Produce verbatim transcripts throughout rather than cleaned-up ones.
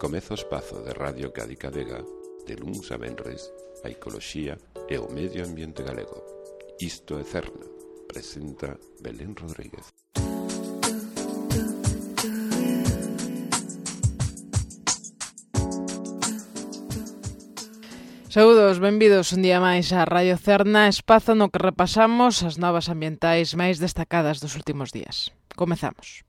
Comeza o espazo de Radio Cádiz Vega, de luns a venres, a ecoloxía e o medio ambiente galego. Isto é Cerna, presenta Belén Rodríguez. Saúdos, benvidos un día máis a Radio Cerna, espazo no que repasamos as novas ambientais máis destacadas dos últimos días. Comezamos.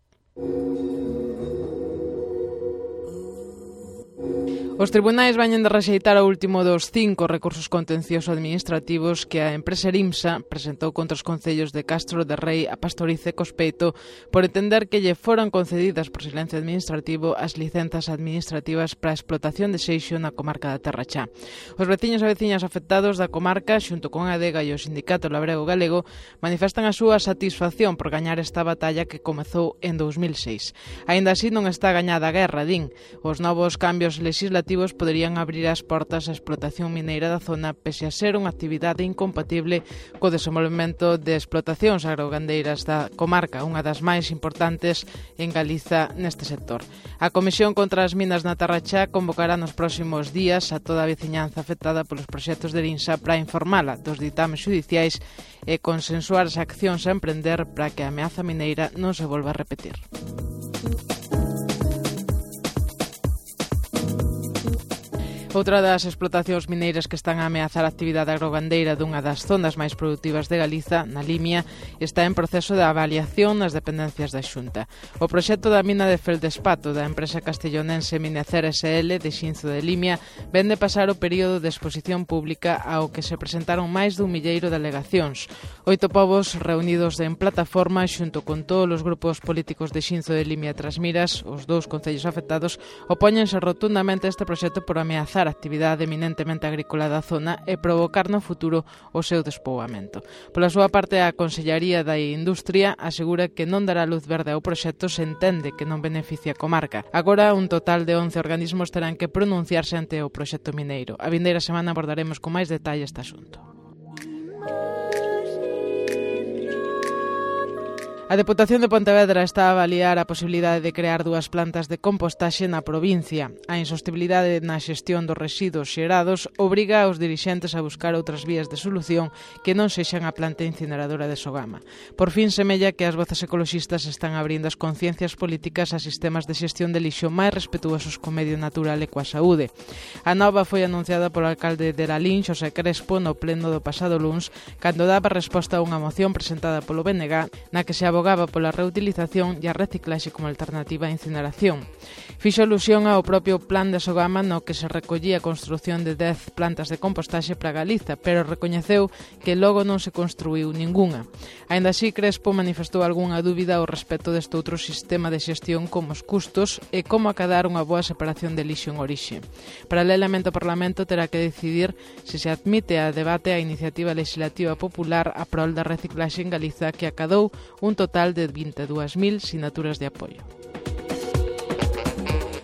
Os tribunais veñen de rexeitar o último dos cinco recursos contencioso administrativos que a empresa Erimsa presentou contra os concellos de Castro de Rei, A Pastoriza e Cospeito por entender que lle foran concedidas por silencio administrativo as licenzas administrativas para a explotación de seixo na comarca da Terra Chá. Os veciños e veciñas afectados da comarca, xunto con a Adega e o Sindicato Labrego Galego, manifestan a súa satisfacción por gañar esta batalla que comezou en dous mil seis. Aínda así non está gañada a guerra, din. Os novos cambios legislativos poderían abrir as portas á explotación mineira da zona pese a ser unha actividade incompatible co desenvolvemento de explotacións agrogandeiras da comarca, unha das máis importantes en Galiza neste sector. A Comisión contra as Minas na Terra Chá convocará nos próximos días a toda a veciñanza afectada polos proxectos de Erimsa para informala dos ditames judiciais e consensuar as accións a emprender para que a ameaza mineira non se volva a repetir. Outra das explotacións mineiras que están a ameazar a actividade agrogandeira dunha das zonas máis produtivas de Galiza, na Limia, está en proceso de avaliación nas dependencias da Xunta. O proxecto da mina de Feldespato da empresa castellonense Minecer S L de Xinzo de Limia ven de pasar o período de exposición pública ao que se presentaron máis dun milleiro de alegacións. Oito povos reunidos en plataforma xunto con todos os grupos políticos de Xinzo de Limia e Trasmiras, os dous concellos afectados, opóñense rotundamente a este proxecto por ameazar a actividade eminentemente agrícola da zona e provocar no futuro o seu despoboamento. Pola súa parte, a Consellaría da Industria asegura que non dará luz verde ao proxecto se entende que non beneficia a comarca. Agora, un total de once organismos terán que pronunciarse ante o proxecto mineiro. A vindeira semana abordaremos con máis detalle este asunto. A Deputación de Pontevedra está a avaliar a posibilidade de crear dúas plantas de compostaxe na provincia. A insostibilidade na xestión dos residuos xerados obriga aos dirixentes a buscar outras vías de solución que non sexan a planta incineradora de Sogama. Por fin, semella que as voces ecoloxistas están abrindo as conciencias políticas a sistemas de xestión de lixo máis respetuosos co medio natural e coa saúde. A nova foi anunciada polo alcalde de Lalín, Xosé Crespo, no pleno do pasado luns, cando daba resposta a unha moción presentada polo B N G na que se abogaba pola reutilización e a reciclaxe como alternativa á incineración. Fixo alusión ao propio plan de Sogama no que se recollía a construción de dez plantas de compostaxe para Galiza, pero recoñeceu que logo non se construíu ningunha. Aínda así, Crespo manifestou algunha dúbida ao respecto deste outro sistema de xestión como os custos e como acadar unha boa separación de lixo en orixe. Paralelamente, o Parlamento terá que decidir se se admite a debate a iniciativa legislativa popular a prol da reciclaxe en Galiza que acadou un total de vinte e dúas mil sinaturas de apoio.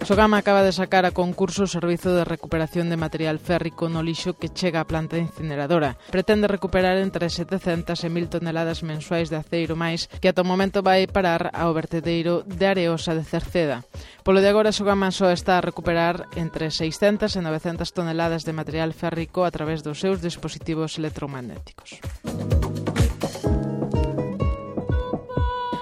Sogama acaba de sacar a concurso o servizo de recuperación de material férrico no lixo que chega á planta incineradora. Pretende recuperar entre setecentas e mil toneladas mensuais de aceiro máis que ata o momento vai parar ao vertedeiro de Areosa de Cerceda. Polo de agora, Sogama só está a recuperar entre seiscentas e novecentas toneladas de material férrico a través dos seus dispositivos electromagnéticos.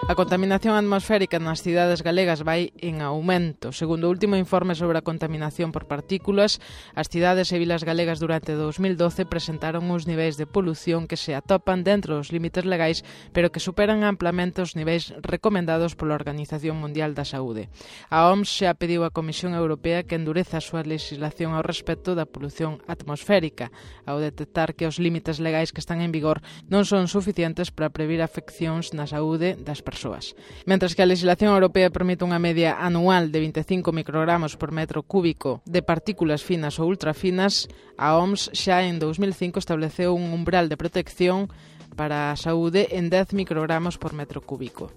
A contaminación atmosférica nas cidades galegas vai en aumento. Segundo o último informe sobre a contaminación por partículas, as cidades e vilas galegas durante dous mil doce presentaron uns niveis de polución que se atopan dentro dos límites legais, pero que superan amplamente os niveis recomendados pola Organización Mundial da Saúde. A O M S xa pediu á Comisión Europea que endureza a súa legislación ao respecto da polución atmosférica, ao detectar que os límites legais que están en vigor non son suficientes para previr afeccións na saúde das persoas. Mentres que a legislación europea permite unha media anual de vinte e cinco microgramos por metro cúbico de partículas finas ou ultrafinas, a O M S xa en dous mil cinco estableceu un umbral de protección para a saúde en dez microgramos por metro cúbico.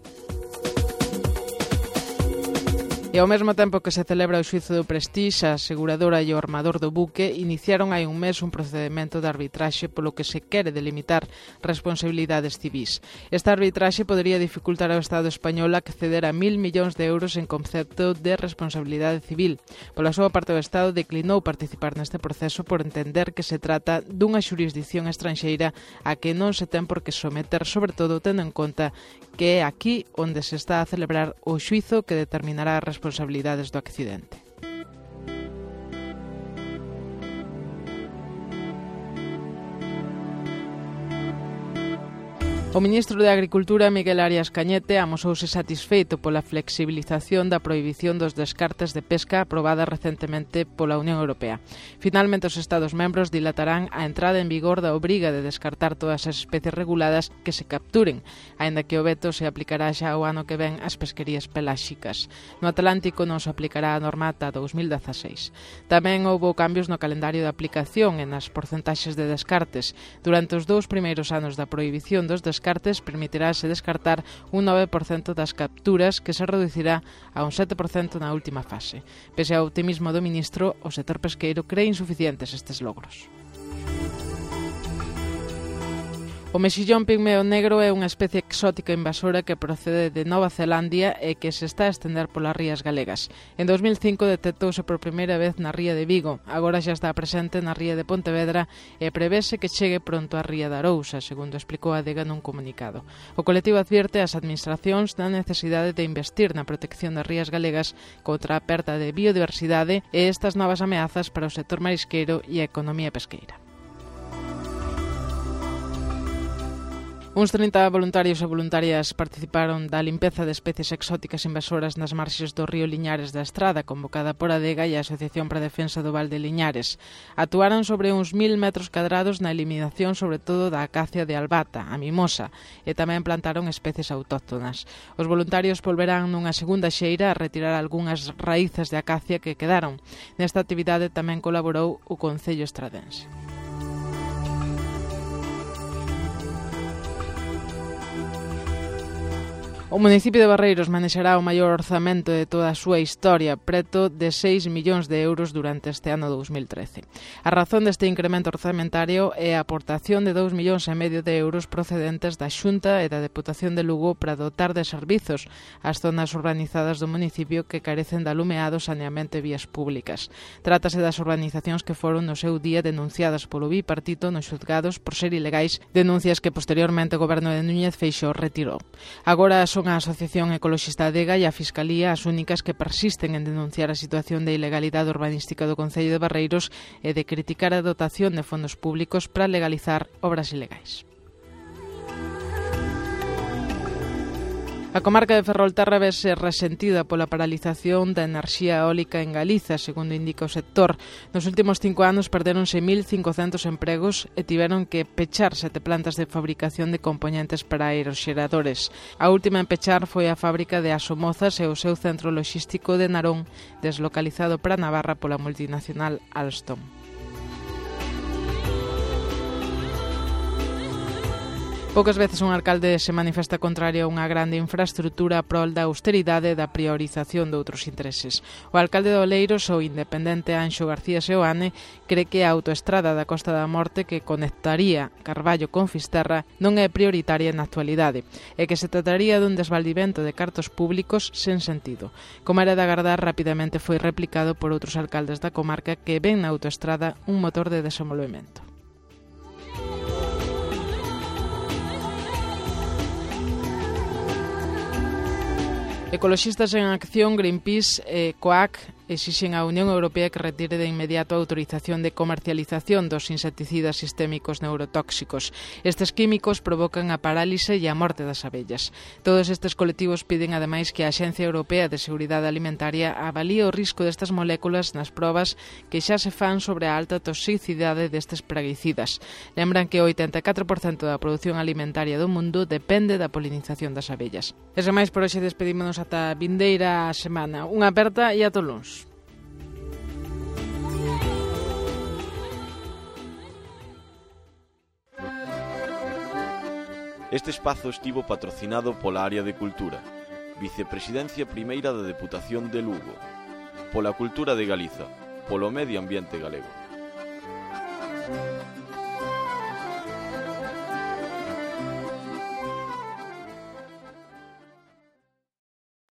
E ao mesmo tempo que se celebra o xuízo do Prestige, a aseguradora e o armador do buque iniciaron hai un mes un procedimento de arbitraxe polo que se quere delimitar responsabilidades civís. Esta arbitraxe podería dificultar ao Estado español acceder a mil millóns de euros en concepto de responsabilidade civil. Pola súa parte, o Estado declinou participar neste proceso por entender que se trata dunha xurisdicción estranxeira a que non se ten por que someter, sobre todo tendo en conta que é aquí onde se está a celebrar o xuízo que determinará as responsabilidades do accidente. O ministro de Agricultura, Miguel Arias Cañete, amosouse satisfeito pola flexibilización da prohibición dos descartes de pesca aprobada recentemente pola Unión Europea. Finalmente, os Estados membros dilatarán a entrada en vigor da obriga de descartar todas as especies reguladas que se capturen, aínda que o veto se aplicará xa o ano que ven ás pesquerías peláxicas. No Atlántico non se aplicará a norma ata dous mil dezaseis. Tamén houbo cambios no calendario de aplicación e nas porcentaxes de descartes. Durante os dous primeiros anos da prohibición dos descartes, descartes permitirase descartar un nove por cento das capturas, que se reducirá a un sete por cento na última fase. Pese ao optimismo do ministro, o sector pesqueiro cree insuficientes estes logros. O mexillón pigmeo negro é unha especie exótica invasora que procede de Nova Zelandia e que se está a estender polas rías galegas. En dos mil cinco detectouse por primeira vez na ría de Vigo, agora xa está presente na ría de Pontevedra e prevese que chegue pronto á ría de Arousa, segundo explicou a Adega nun comunicado. O colectivo advierte ás administracións da necesidade de investir na protección das rías galegas contra a perda de biodiversidade e estas novas ameazas para o sector marisqueiro e a economía pesqueira. Uns trinta voluntarios e voluntarias participaron da limpeza de especies exóticas invasoras nas marxes do río Liñares da Estrada, convocada por Adega e a Asociación para a Defensa do Val de Liñares. Actuaron sobre uns mil metros cadrados na eliminación sobre todo da acacia de albata, a mimosa, e tamén plantaron especies autóctonas. Os voluntarios volverán nunha segunda xeira a retirar algunhas raíces de acacia que quedaron. Nesta actividade tamén colaborou o Concello estradense. O municipio de Barreiros manexará o maior orzamento de toda a súa historia, preto de seis millóns de euros durante este ano dous mil trece. A razón deste incremento orzamentario é a aportación de dous millóns e medio de euros procedentes da Xunta e da Deputación de Lugo para dotar de servizos as zonas urbanizadas do municipio que carecen de alumeado, saneamento e vías públicas. Trátase das urbanizacións que foron no seu día denunciadas polo bipartito nos xulgados por ser ilegais, denuncias que posteriormente o goberno de Núñez Feixóo retirou. Agora son a Asociación Ecoloxista Adega e a Fiscalía as únicas que persisten en denunciar a situación de ilegalidade urbanística do Concello de Barreiros e de criticar a dotación de fondos públicos para legalizar obras ilegais. A comarca de Ferrolterra vese resentida pola paralización da enerxía eólica en Galiza, segundo indica o sector. Nos últimos cinco anos perderonse mil cincocentos empregos e tiveron que pechar sete plantas de fabricación de componentes para aeroxeradores. A última en pechar foi a fábrica de Asomozas e o seu centro loxístico de Narón, deslocalizado para Navarra pola multinacional Alstom. Poucas veces un alcalde se manifesta contrario a unha grande infraestrutura a prol da austeridade e da priorización de outros intereses. O alcalde de Oleiros, o independente Anxo García Seoane, cree que a autoestrada da Costa da Morte que conectaría Carballo con Fisterra non é prioritaria na actualidade e que se trataría dun desvaldimento de cartos públicos sen sentido. Como era de agardar, rapidamente foi replicado por outros alcaldes da comarca que ven na autoestrada un motor de desenvolvemento. Ecoloxistas en Acción, Greenpeace e COAC exixen á Unión Europea que retire de inmediato a autorización de comercialización dos insecticidas sistémicos neurotóxicos. Estes químicos provocan a parálise e a morte das abellas. Todos estes colectivos piden ademais que a Axencia Europea de Seguridade Alimentaria avalíe o risco destas moléculas nas probas que xa se fan sobre a alta toxicidade destes praguicidas. Lembran que o oitenta e catro por cento da produción alimentaria do mundo depende da polinización das abellas. E sen máis, por hoxe despedímonos ata a vindeira semana. Unha aperta e ata o luns. Este espazo estivo patrocinado pola Área de Cultura, Vicepresidencia primeira da Deputación de Lugo. Pola cultura de Galiza, polo medio ambiente galego.